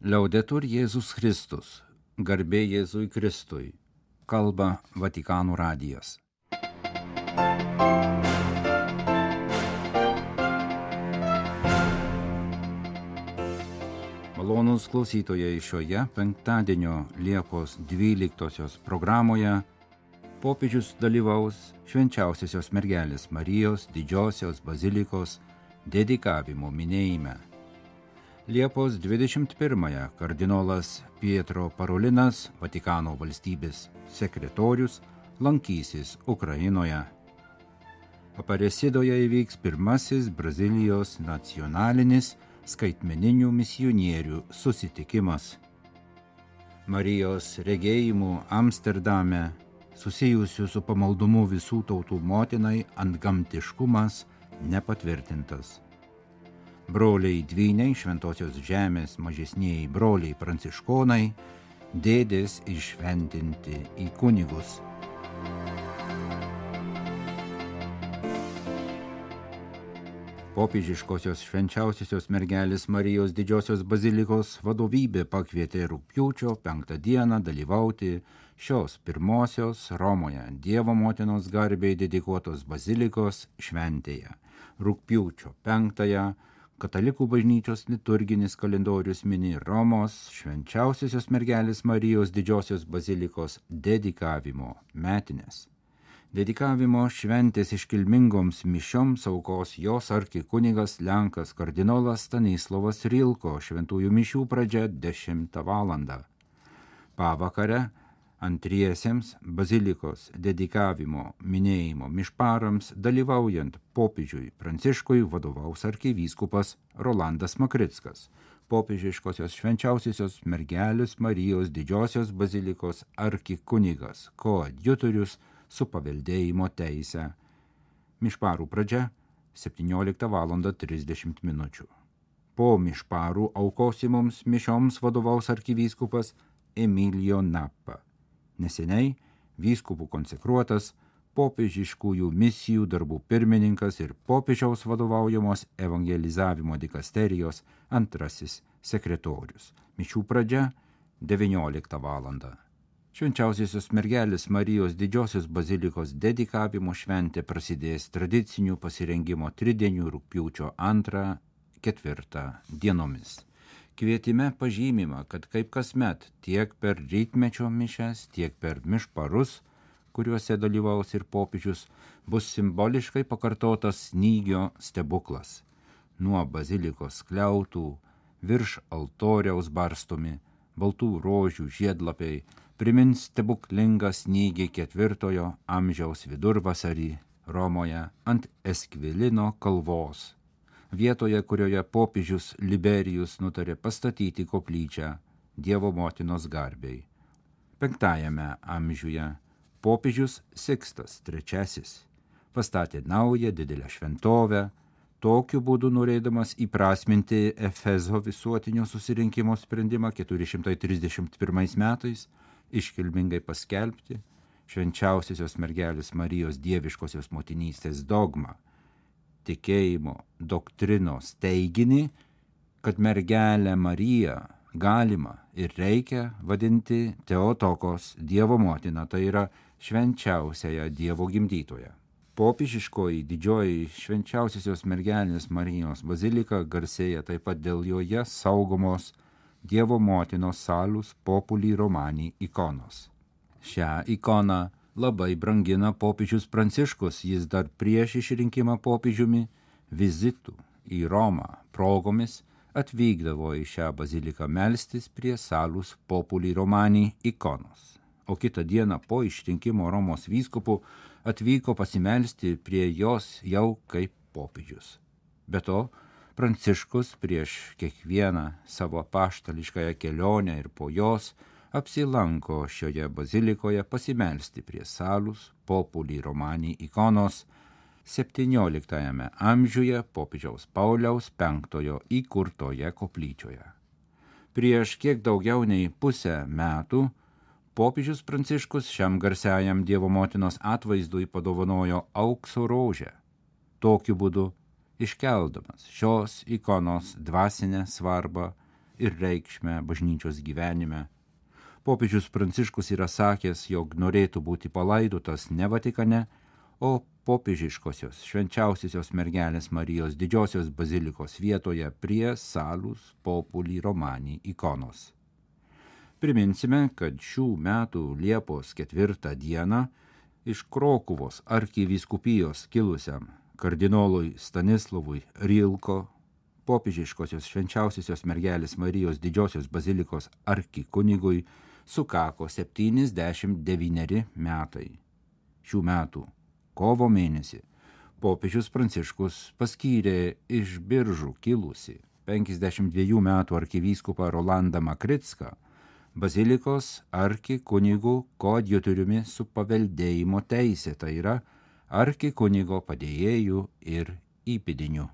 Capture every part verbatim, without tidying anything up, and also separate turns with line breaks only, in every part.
Liaudetur Jėzus Kristus, garbė Jėzui Kristui, kalba Vatikano radijas. Malonūs klausytojai, šioje penktadienio Liepos dvyliktosios programoje popiežius dalyvaus Švenčiausiosios mergelės Marijos didžiosios bazilikos dedikavimo minėjime. Liepos dvidešimt pirmąją kardinolas Pietro Parolinas, Vatikano valstybės sekretorius, lankysis Ukrainoje. Aparecidoje įvyks pirmasis Brazilijos nacionalinis skaitmeninių misionierių susitikimas. Marijos regėjimų Amsterdame, susijusių su pamaldumu visų tautų motinai, antgamtiškumas nepatvirtintas. Broliai dvyniai Šventosios žemės mažesnieji broliai pranciškonai, dėdės iššventinti į kunigus. Popiežiškosios Švenčiausiosios mergelės Marijos didžiosios bazilikos vadovybė pakvietė rugpjūčio penktą dieną dalyvauti šios pirmosios Romoje Dievo motinos garbei dedikuotos bazilikos šventėje. Rugpjūčio penktąją Katalikų bažnyčios liturginis kalendorius mini Romos Švenčiausiosios mergelės Marijos didžiosios bazilikos dedikavimo metines. Dedikavimo šventės iškilmingoms mišioms aukos jos arkikunigas Lenkas kardinolas Stanislovas Rilko, šventųjų mišių pradžia dešimtą valandą. Pavakare antriesiems bazilikos dedikavimo minėjimo mišparams dalyvaujant popiežiui Pranciškui vadovaus arkivyskupas Rolandas Makrickas, popiežiškosios Švenčiausiosios mergelės Marijos didžiosios bazilikos arkikunigas, koadjutorius su paveldėjimo teise. Mišparų pradžia septynioliktą valandą trisdešimt minučių. Po mišparų aukosimoms mišioms vadovaus arkivyskupas Emilio Nappa. Neseniai vyskupų konsekruotas popiežiškųjų misijų darbų pirmininkas ir popiežiaus vadovaujamos evangelizavimo dikasterijos antrasis sekretorius. Mišių pradžia devynioliktą valandą. Švenčiausiosios mergelės Marijos didžiosios bazilikos dedikavimo šventė prasidės tradicinių pasirengimo tridienių rugpjūčio antrą ketvirtą dienomis. Kvietime pažymima, kad kaip kasmet tiek per rytmečio mišias, tiek per mišparus, kuriuose dalyvaus ir popiežius, bus simboliškai pakartotas snygio stebuklas. Nuo bazilikos skliautų, virš altoriaus barstomi, baltų rožių žiedlapiai, primins stebuklingą snygį ketvirtojo amžiaus vidurvasarį Romoje ant Eskvilino kalvos. Vietoje, kurioje popiežius Liberijus nutarė pastatyti koplyčią Dievo motinos garbei. Penktajame amžiuje popiežius Sikstas trečiasis pastatė naują didelę šventovę, tokiu būdu norėdamas įprasminti Efezo visuotinio susirinkimo sprendimą keturi šimtai trisdešimt pirmais metais iškilmingai paskelbti Švenčiausiosios mergelės Marijos dieviškosios motinystės dogmą, tikėjimo doktrinos teiginį, kad mergelę Mariją galima ir reikia vadinti Teotokos Dievo motina, tai yra švenčiausiąją Dievo gimdytoją. Popiežiškoji didžioji Švenčiausiosios mergelės Marijos bazilika garsėja taip pat dėl joje saugomos Dievo motinos salus populi romani ikonos. Šią ikoną labai brangina popiežius Pranciškus, jis dar prieš išrinkimą popiežiumi vizitų į Romą progomis atvykdavo į šią baziliką melstis prie salus populi romani ikonos, o kitą dieną po išrinkimo Romos vyskupų atvyko pasimelsti prie jos jau kaip popiežius. Be to, Pranciškus prieš kiekvieną savo apaštališkąją kelionę ir po jos apsilanko šioje bazilikoje pasimelsti prie salus populi romani ikonos septynioliktajame amžiuje popiežiaus Pauliaus penktojo įkurtoje koplyčioje. Prieš kiek daugiau nei pusę metų popiežius Pranciškus šiam garsiajam Dievo motinos atvaizdui padovanojo aukso rožę, tokiu būdu iškeldamas šios ikonos dvasinę svarbą ir reikšmę bažnyčios gyvenime. Popiežius Pranciškus yra sakęs, jog norėtų būti palaidotas ne Vatikane, o popiežiškosios švenčiausiosios mergelės Marijos didžiosios bazilikos vietoje prie Salus Populi Romani ikonos. Priminsime, kad šių metų Liepos ketvirtą dieną iš Krokuvos arkivyskupijos kilusiam kardinolui Stanislavui Rilko, popiežiškosios švenčiausiosios mergelės Marijos didžiosios bazilikos arkikunigui, sukako septyniasdešimt devyneri metai. Šių metų kovo mėnesį popiežius Pranciškus paskyrė iš Biržų kilusi penkiasdešimt dviejų metų arkivyskupą Rolandą Makricką bazilikos arkikunigu koadjutoriumi su paveldėjimo teisė, tai yra arkikunigo padėjėjų ir įpėdiniu.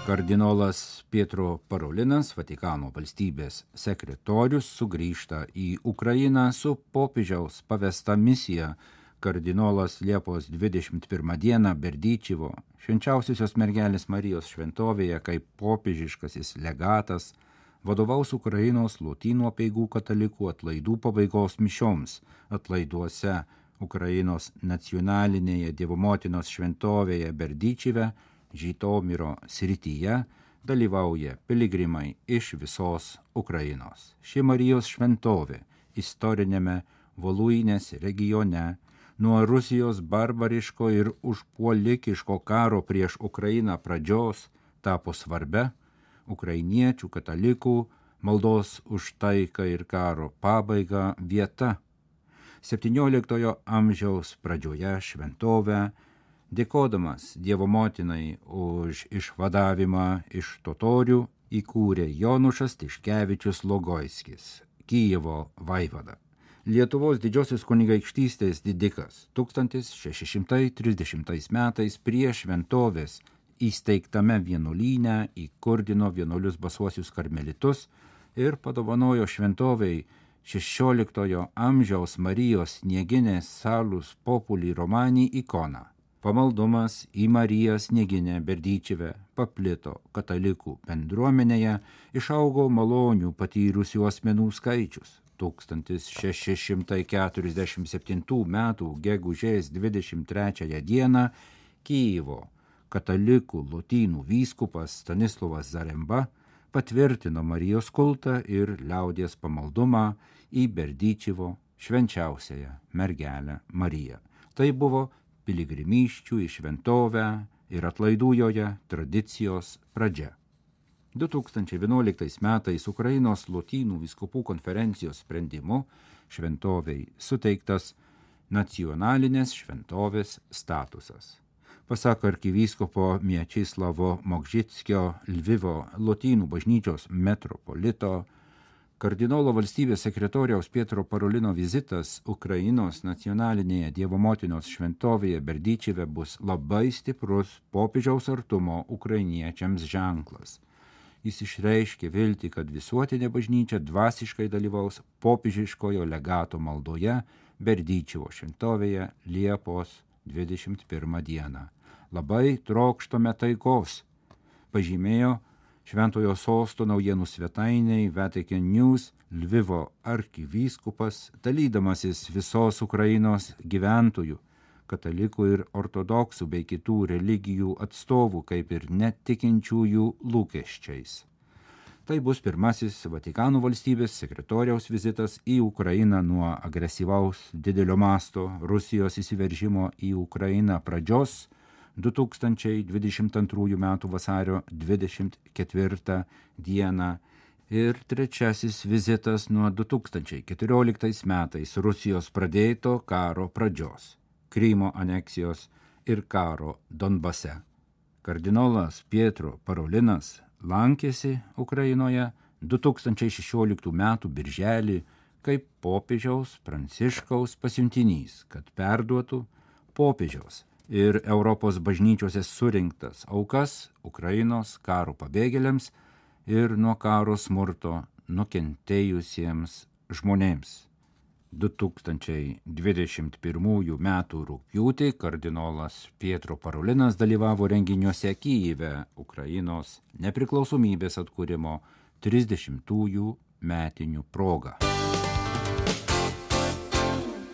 Kardinolas Pietro Parolinas, Vatikano valstybės sekretorius, sugrįžta į Ukrainą su popiežiaus pavesta misija. Kardinolas Liepos dvidešimt pirmą dieną Berdyčivo švenčiausiosios mergelės Marijos šventovėje kaip popiežiškasis legatas vadovaus Ukrainos lotynų apeigų katalikų atlaidų pabaigos mišioms atlaiduose Ukrainos nacionalinėje Dievo motinos šventovėje Berdyčive, Žytomyro srityje, dalyvauja piligrimai iš visos Ukrainos. Ši Marijos šventovė istorinėme Voluinės regione nuo Rusijos barbariško ir užpuolikiško karo prieš Ukrainą pradžios tapo svarbia ukrainiečių katalikų maldos už taiką ir karo pabaigą vieta. septynioliktojo amžiaus pradžioje šventovę, dėkodamas Dievo motinai už išvadavimą iš totorių, įkūrė Jonušas Tiškevičius Logoiskis, Kijevo vaivada. Lietuvos didžiosios kunigaikštystės didikas tūkstantis šeši šimtai trisdešimtais metais prie šventovės įsteigtame vienuolyne įkurdino vienuolius basuosius karmelitus ir padovanojo šventovei šešioliktojo amžiaus Marijos Snieginės Salus Populi Romani ikoną. Pamaldumas į Mariją Snieginę Berdyčive paplito katalikų bendruomenėje, išaugo malonių patyrusių asmenų skaičius. tūkstantis šeši šimtai keturiasdešimt septintų metų gegužės dvidešimt trečiąją dieną Kijevo katalikų lotynų vyskupas Stanislovas Zaremba patvirtino Marijos kultą ir liaudies pamaldumą į Berdyčivo švenčiausiąją mergelę Mariją. Tai buvo piligrimysčių į šventovę ir atlaidų joje tradicijos pradžia. du tūkstančiai vienuoliktais metais Ukrainos lotynų vyskupų konferencijos sprendimu šventovei suteiktas nacionalinės šventovės statusas. Pasak arkivyskupo Miečislavo Mokžickio Lvivo lotynų bažnyčios metropolito, kardinolo valstybės sekretoriaus Pietro Parolino vizitas Ukrainos nacionalinėje Dievo motinos šventovėje Berdyčive bus labai stiprus popiežiaus artumo ukrainiečiams ženklas. Jis išreiškė viltį, kad visuotinė bažnyčia dvasiškai dalyvaus popiežiškojo legato maldoje Berdyčivo šventovėje Liepos dvidešimt pirmą dieną. Labai trokštame taikos, pažymėjo Šventojo sosto naujienų svetainiai Vatican News Lvivo arkivyskupas, dalydamasis visos Ukrainos gyventojų, katalikų ir ortodoksų bei kitų religijų atstovų, kaip ir netikinčiųjų lūkesčiais. Tai bus pirmasis Vatikano valstybės sekretoriaus vizitas į Ukrainą nuo agresyvaus didelio masto Rusijos įsiveržimo į Ukrainą pradžios du tūkstančiai dvidešimt antrųjų metų vasario dvidešimt ketvirtą dieną ir trečiasis vizitas nuo du tūkstančiai keturioliktais metais Rusijos pradėto karo pradžios, Krymo aneksijos ir karo Donbase. Kardinolas Pietro Parolinas lankėsi Ukrainoje du tūkstančiai šešioliktų metų birželį kaip popiežiaus Pranciškaus pasiuntinys, kad perduotų popiežiaus ir Europos bažnyčiose surinktas aukas Ukrainos karo pabėgėliams ir nuo karo smurto nukentėjusiems žmonėms. du tūkstančiai dvidešimt pirmųjų metų rugpjūtį kardinolas Pietro Parolinas dalyvavo renginiuose Kyjive Ukrainos nepriklausomybės atkūrimo trisdešimtųjų metinių proga.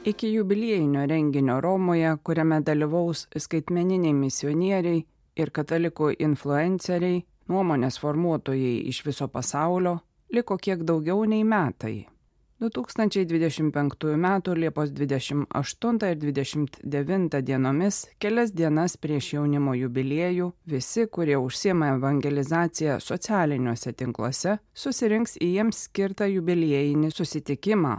Iki jubiliejinio renginio Romoje, kuriame dalyvaus skaitmeniniai misionieriai ir katalikų influenceriai, nuomonės formuotojai iš viso pasaulio, liko kiek daugiau nei metai. du tūkstančiai dvidešimt penktųjų metų Liepos dvidešimt aštuntą ir dvidešimt devintą dienomis, kelias dienas prieš jaunimo jubiliejų, visi, kurie užsiema evangelizaciją socialiniuose tinkluose, susirinks į jiems skirtą jubiliejinį susitikimą.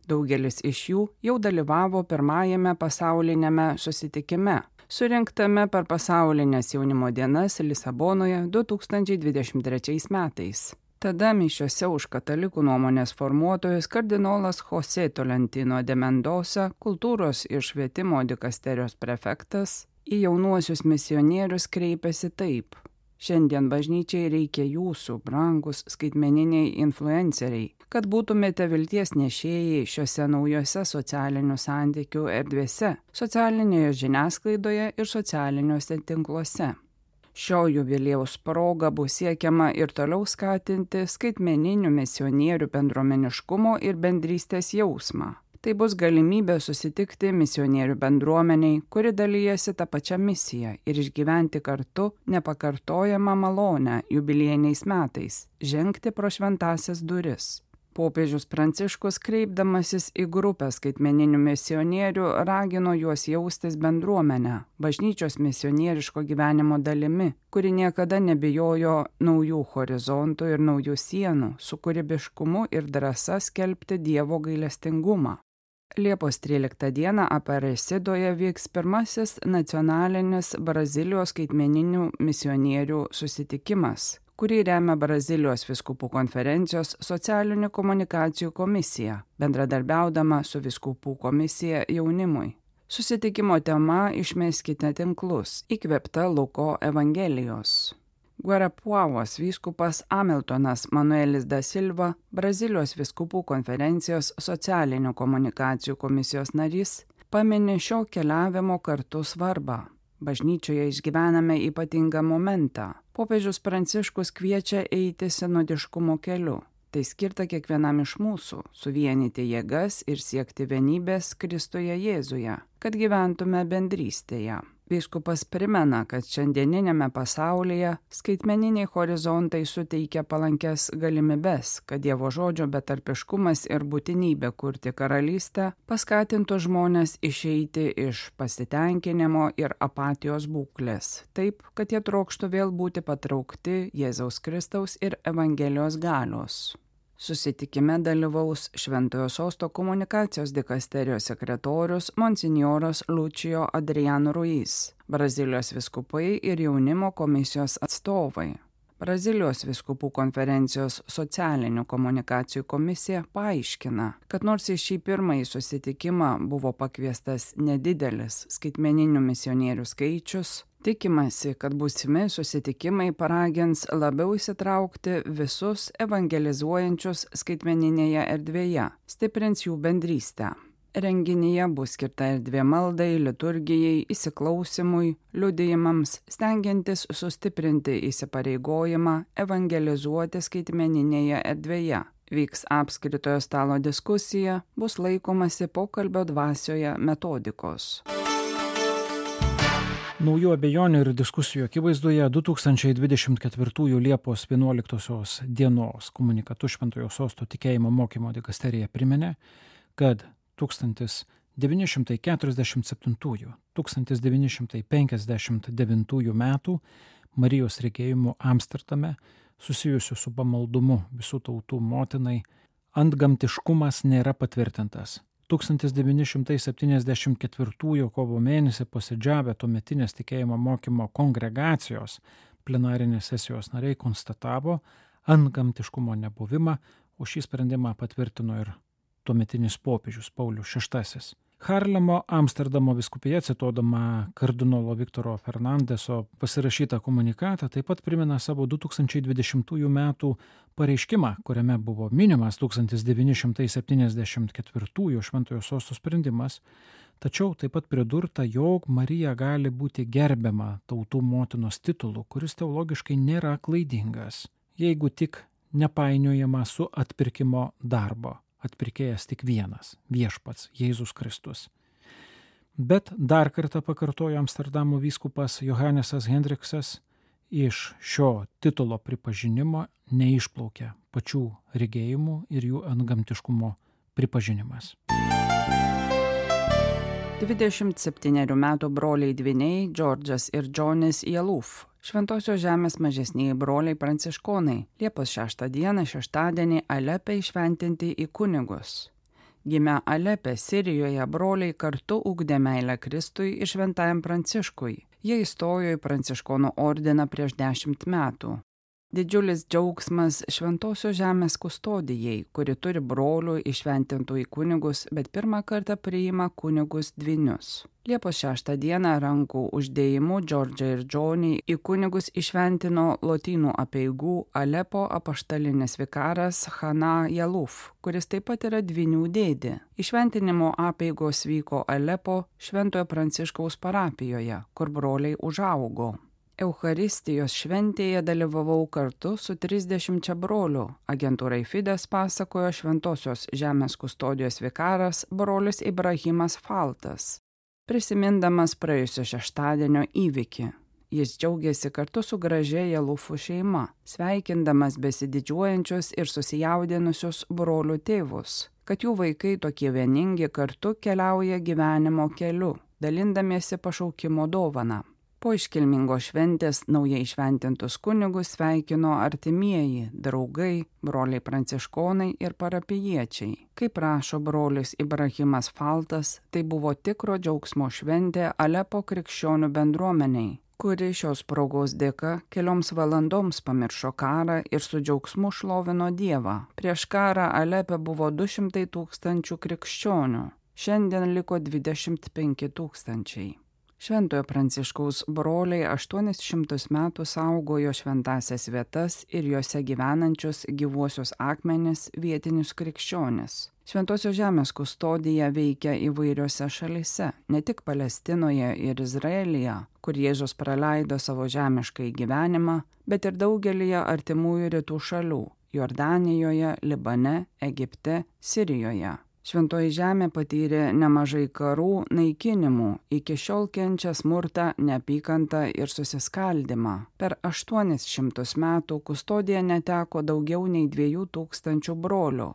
Daugelis iš jų jau dalyvavo pirmajame pasaulinėme susitikime, surinktame per pasaulinės jaunimo dienas Lisabonoje du tūkstančiai dvidešimt trečiais metais. Tada mišiose už katalikų nuomonės formuotojus kardinolas José Tolentino de Mendoza, kultūros ir švietimo dikasterijos prefektas, į jaunuosius misionierius kreipėsi taip: šiandien bažnyčiai reikia jūsų, brangus skaitmeniniai influenceriai, kad būtumėte vilties nešėjai šiuose naujose socialinių santykių erdvėse, socialinėje žiniasklaidoje ir socialiniuose tinkluose. Šio jubiliejaus proga bus siekiama ir toliau skatinti skaitmeninių misionierių bendruomeniškumo ir bendrystės jausmą. Tai bus galimybė susitikti misionierių bendruomeniai, kuri dalyjasi tą pačią misiją ir išgyventi kartu nepakartojamą malonę jubiliejiniais metais, žengti pro šventąsias duris. Popiežius Pranciškus, kreipdamasis į grupę skaitmeninių misionierių, ragino juos jaustis bendruomenę, bažnyčios misionieriško gyvenimo dalimi, kuri niekada nebijojo naujų horizontų ir naujų sienų, su kūrybiškumu ir drąsa skelbti Dievo gailestingumą. Liepos tryliktą dieną Aparecidoje vyks pirmasis nacionalinis Brazilijos skaitmeninių misionierių susitikimas, kurį remia Brazilijos vyskupų konferencijos socialinių komunikacijų komisija, bendradarbiaudama su vyskupų komisija jaunimui. Susitikimo tema Išmeskite tinklus, įkvėpta Luko Evangelijos. Guarapuavos vyskupas Hamiltonas Manuelis da Silva, Brazilijos vyskupų konferencijos socialinių komunikacijų komisijos narys, pamini šio keliavimo kartu svarbą. Bažnyčioje išgyvename ypatingą momentą. Popiežius Pranciškus kviečia eiti sinodiškumo keliu. Tai skirta kiekvienam iš mūsų – suvienyti jėgas ir siekti vienybės Kristuje Jėzuje, kad gyventume bendrystėje. Vyskupas primena, kad šiandieninėme pasaulyje skaitmeniniai horizontai suteikia palankes galimybes, kad Dievo žodžio betarpiškumas ir būtinybė kurti karalystę paskatintų žmones išeiti iš pasitenkinimo ir apatijos būklės, taip, kad jie trokštų vėl būti patraukti Jėzaus Kristaus ir Evangelijos galios. Susitikime dalyvaus Šventojo Sosto komunikacijos dikasterijos sekretorius monsinjoras Lucijo Adriano Ruiz, Brazilijos vyskupai ir jaunimo komisijos atstovai. Brazilijos vyskupų konferencijos socialinių komunikacijų komisija paaiškina, kad nors į šį pirmąjį susitikimą buvo pakviestas nedidelis skaitmeninių misionierių skaičius, tikimasi, kad būsimi susitikimai paragins labiau įsitraukti visus evangelizuojančius skaitmeninėje erdvėje, stiprins jų bendrystę. Renginyje bus skirta erdvė maldai, liturgijai, įsiklausimui, liudijimams, stengiantis sustiprinti įsipareigojimą evangelizuoti skaitmeninėje erdvėje. Vyks apskritojo stalo diskusija, bus laikomasi pokalbio dvasioje metodikos.
Naujų abejonių ir diskusijų akivaizdoje du tūkstančiai dvidešimt ketvirtųjų Liepos vienuoliktosios dienos komunikatu Šventojo Sosto tikėjimo mokymo dikasterija priminė, kad tūkstantis devyni šimtai keturiasdešimt septintųjų - tūkstantis devyni šimtai penkiasdešimt devintųjų metų Marijos regėjimu Amsterdame susijusiu su pamaldumu visų tautų motinai antgamtiškumas nėra patvirtintas. tūkstantis devyni šimtai septyniasdešimt ketvirtųjų kovo mėnesį posėdžiavę tuometinės tikėjimo mokymo kongregacijos plenarinės sesijos nariai konstatavo antgamtiškumo nebuvimą, o šį sprendimą patvirtino ir tuometinis popiežius Paulius šeštasis. Harlemo Amsterdamo vyskupija, cituodama kardinolo Viktoro Fernandeso pasirašytą komunikatą, taip pat primena savo du tūkstančiai dvidešimtųjų metų pareiškimą, kuriame buvo minimas tūkstantis devyni šimtai septyniasdešimt ketvirtųjų Šventojo Sosto sprendimas, tačiau taip pat pridurta, jog Marija gali būti gerbiama tautų motinos titulu, kuris teologiškai nėra klaidingas, jeigu tik nepainiojama su atpirkimo darbo. Atpirkėjas tik vienas – viešpats Jėzus Kristus. Bet dar kartą pakartojo Amsterdamo vyskupas Johanesas Hendriksas, iš šio titulo pripažinimo neišplaukia pačių regėjimų ir jų antgamtiškumo pripažinimas.
dvidešimt septynerių metų broliai dvyniai Džordžas ir Džonis Jaluf, Šventosios žemės mažesnieji broliai pranciškonai, Liepos šeštą dieną šeštadienį Alepe įšventinti į kunigus. Gimę Alepe, Sirijoje, broliai kartu ugdė meilę Kristui ir šventajam Pranciškui. Jie įstojo į pranciškonų ordiną prieš dešimt metų. Didžiulis džiaugsmas Šventosios žemės kustodijai, kuri turi brolių įšventintų į kunigus, bet pirmą kartą priima kunigus dvynius. Liepos šeštą dieną rankų uždėjimu Džordžą ir Džonį į kunigus įšventino lotynų apeigų Alepo apaštalinis vikaras Hana Jaluf, kuris taip pat yra dvynių dėdė. Įšventinimo apeigos vyko Alepo Šventojo Pranciškaus parapijoje, kur broliai užaugo. Eucharistijos šventėje dalyvavau kartu su trisdešimčia brolių. Agentūrai Fides pasakojo Šventosios žemės kustodijos vikaras brolis Ibrahimas Faltas, prisimindamas praėjusio šeštadienio įvykį. Jis džiaugiasi kartu su gražia Jalufų šeima, sveikindamas besididžiuojančius ir susijaudinusius brolių tėvus, kad jų vaikai tokie vieningi kartu keliauja gyvenimo keliu, dalindamiesi pašaukimo dovaną. Po iškilmingos šventės naujai šventintus kunigus sveikino artimieji, draugai, broliai pranciškonai ir parapijiečiai. Kaip rašo brolis Ibrahimas Faltas, tai buvo tikro džiaugsmo šventė Alepo krikščionių bendruomeniai, kuri šios progos dėka kelioms valandoms pamiršo karą ir su džiaugsmu šlovino Dievą. Prieš karą Alepe buvo du šimtai tūkstančių krikščionių, šiandien liko dvidešimt penki tūkstančiai. Šventojo Pranciškaus broliai aštuonis šimtus metų saugojo šventasias vietas ir juose gyvenančius gyvuosius akmenis vietinius krikščionis. Šventosios žemės kustodija veikia įvairiose šalyse, ne tik Palestinoje ir Izraelyje, kur Jėzus praleido savo žemiškai gyvenimą, bet ir daugelyje artimųjų rytų šalių – Jordanijoje, Libane, Egipte, Sirijoje. Šventoji žemė patyrė nemažai karų, naikinimų, iki šiol kenčia smurtą, neapykantą ir susiskaldimą. Per aštuonis šimtus metų kustodija neteko daugiau nei dviejų tūkstančių brolių,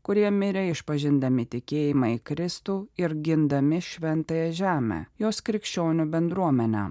kurie mirė išpažindami tikėjimą į Kristų ir gindami šventąją žemę, jos krikščionių bendruomenę.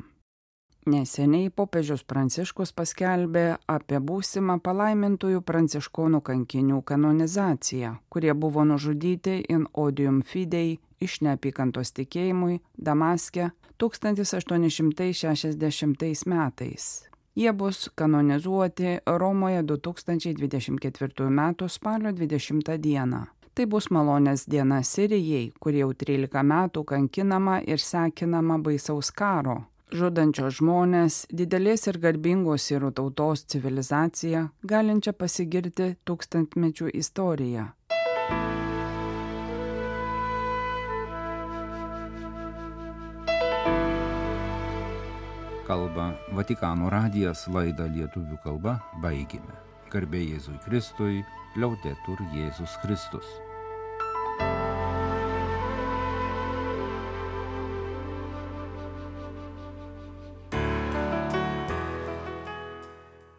Neseniai popiežius Pranciškus paskelbė apie būsimą palaimintųjų pranciškonų kankinių kanonizaciją, kurie buvo nužudyti in odium fidei iš neapykantos tikėjimui Damaske tūkstantis aštuoni šimtai šešiasdešimtais metais. Jie bus kanonizuoti Romoje du tūkstančiai dvidešimt ketvirtųjų metų spalio dvidešimtą dieną. Tai bus malonės diena Sirijai, kuri jau trylika metų kankinama ir sekinama baisaus karo, žudančios žmonės, didelės ir garbingos sirų tautos civilizacija, galinčia pasigirti tūkstantmečių istoriją.
Kalba Vatikano radijas, laidą lietuvių kalba baigėme. Garbė Jėzui Kristui, liaudetur Jėzus Kristus.